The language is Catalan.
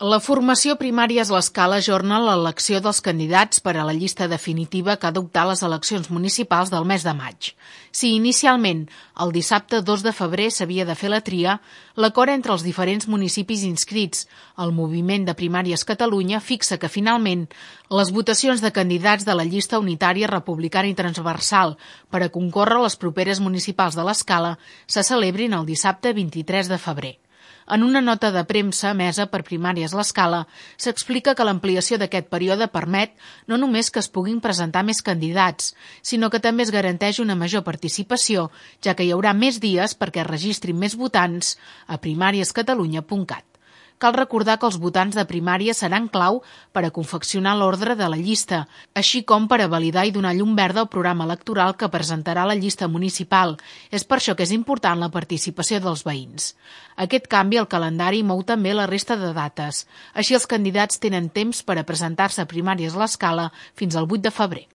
La formació primària és l'escala ajorna l'elecció dels candidats per a la llista definitiva que ha d'optar a les eleccions municipals del mes de maig. Si inicialment el dissabte 2 de febrer s'havia de fer la tria, l'acord entre els diferents municipis inscrits al Moviment de Primàries Catalunya fixa que finalment les votacions de candidats de la llista unitària republicana i transversal per a concórrer a les properes municipals de l'escala se celebrin el dissabte 23 de febrer. En una nota de premsa emesa per Primàries l'Escala, s'explica que l'ampliació d'aquest període permet no només que es puguin presentar més candidats, sinó que també es garanteix una major participació, ja que hi haurà més dies perquè es registrin més votants a primariescatalunya.cat. Cal recordar que els votants de primària seran clau per a confeccionar l'ordre de la llista, així com per a validar i donar llum verda al programa electoral que presentarà la llista municipal. És per això que és important la participació dels veïns. Aquest canvi al calendari mou també la resta de dates. Així els candidats tenen temps per a presentar-se a Primàries l'Escala fins al 8 de febrer.